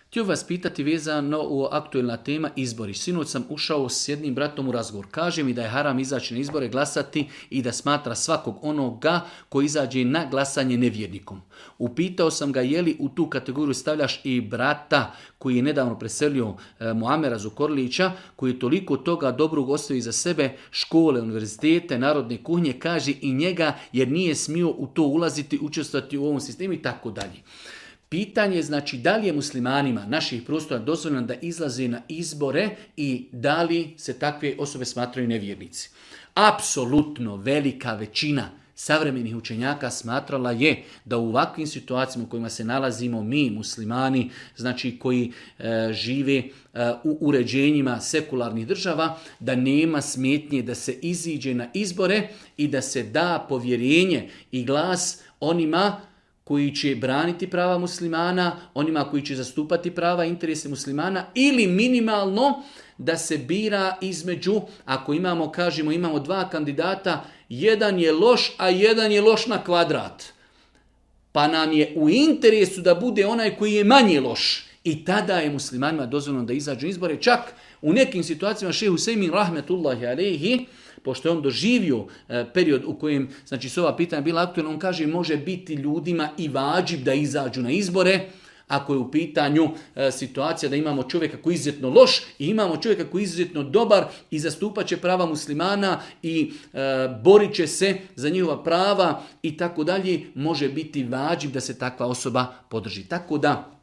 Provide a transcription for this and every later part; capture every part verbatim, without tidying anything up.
Htio vas pitati vezano u aktualna tema izbori. Sinoć sam ušao s jednim bratom u razgovor. Kaže mi da je haram izaći na izbore, glasati i da smatra svakog onoga koji izađe na glasanje nevjernikom. Upitao sam ga je li u tu kategoriju stavljaš i brata koji je nedavno preselio e, Muamera Zukorlića, koji je toliko toga dobrog ostavio za sebe, škole, univerzitete, narodne kuhnje, kaže i njega jer nije smio u to ulaziti, učestvovati u ovom sistemu i tako dalje. Pitanje je znači da li je muslimanima naših prostora dozvoljeno da izlaze na izbore i da li se takve osobe smatraju nevjernici. Apsolutno velika većina savremenih učenjaka smatrala je da u ovakvim situacijama u kojima se nalazimo mi muslimani, znači koji e, žive e, u uređenjima sekularnih država, da nema smetnje da se iziđe na izbore i da se da povjerenje i glas onima koji će braniti prava muslimana, onima koji će zastupati prava i interese muslimana ili minimalno da se bira između, ako imamo, kažemo, imamo dva kandidata, jedan je loš, a jedan je loš na kvadrat. Pa nam je u interesu da bude onaj koji je manje loš. I tada je muslimanima dozvoljeno da izađu izbore. Čak u nekim situacijama šejh Husejmin rahmetullahi alejhi, pošto je on doživio e, period u kojem znači, su ova pitanja bila aktualna, on kaže može biti ljudima i vađib da izađu na izbore, ako je u pitanju e, situacija da imamo čovjeka koji je izuzetno loš i imamo čovjeka koji je izuzetno dobar i zastupat će prava muslimana i e, borit će se za njihova prava i tako dalje, može biti vađib da se takva osoba podrži. Tako da,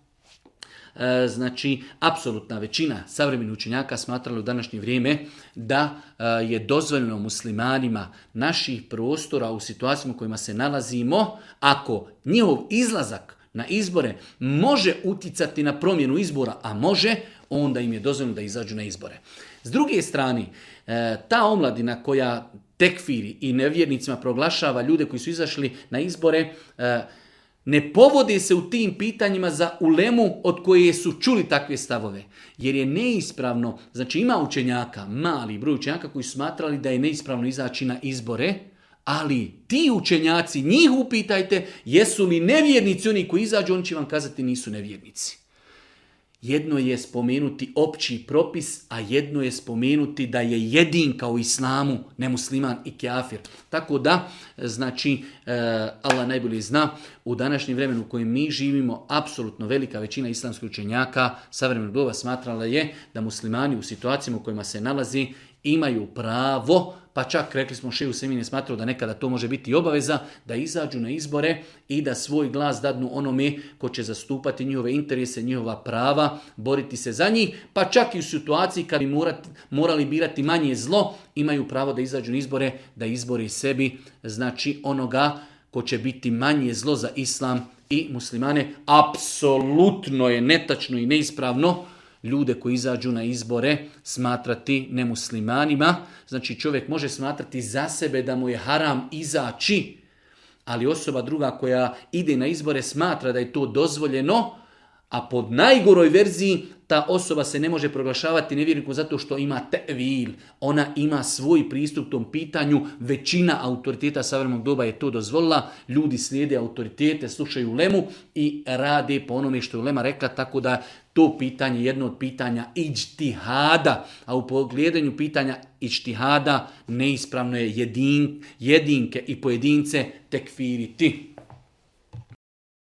E, znači, apsolutna većina savremenih učenjaka smatrala u današnje vrijeme da e, je dozvoljeno muslimanima naših prostora u situacijama u kojima se nalazimo, ako njihov izlazak na izbore može uticati na promjenu izbora, a može, onda im je dozvoljeno da izađu na izbore. S druge strane, e, ta omladina koja tekfiri i nevjernicima proglašava ljude koji su izašli na izbore, e, ne povode se u tim pitanjima za ulemu od koje su čuli takve stavove. Jer je neispravno, znači ima učenjaka, mali broj učenjaka koji su smatrali da je neispravno izaći na izbore, ali ti učenjaci, njih upitajte, jesu li nevjernici oni koji izađu, oni će vam kazati nisu nevjernici. Jedno je spomenuti opći propis, a jedno je spomenuti da je jedinka u islamu nemusliman i kafir. Tako da, znači, Allah najbolje zna, u današnjem vremenu u kojem mi živimo, apsolutno velika većina islamskih učenjaka savremenog doba smatrala je da muslimani u situacijama u kojima se nalazi imaju pravo, pa čak rekli smo šejh Husejmin je smatrao da nekada to može biti obaveza, da izađu na izbore i da svoj glas dadnu onome ko će zastupati njihove interese, njihova prava, boriti se za njih, pa čak i u situaciji kad bi morati, morali birati manje zlo, imaju pravo da izađu na izbore, da izbori sebi, znači onoga ko će biti manje zlo za islam i muslimane. Apsolutno je netačno i neispravno ljude koji izađu na izbore smatrati nemuslimanima. Znači čovjek može smatrati za sebe da mu je haram izaći, ali osoba druga koja ide na izbore smatra da je to dozvoljeno, a pod najgoroj verziji ta osoba se ne može proglašavati nevjernikom zato što ima tevil. Ona ima svoj pristup tom pitanju. Većina autoriteta savremenog doba je to dozvolila. Ljudi slijede autoritete, slušaju ulemu i rade po onome što je ulema rekla, tako da to pitanje je jedno od pitanja iđtihada. A u pogledanju pitanja iđtihada neispravno je jedin, jedinke i pojedince tekfiriti.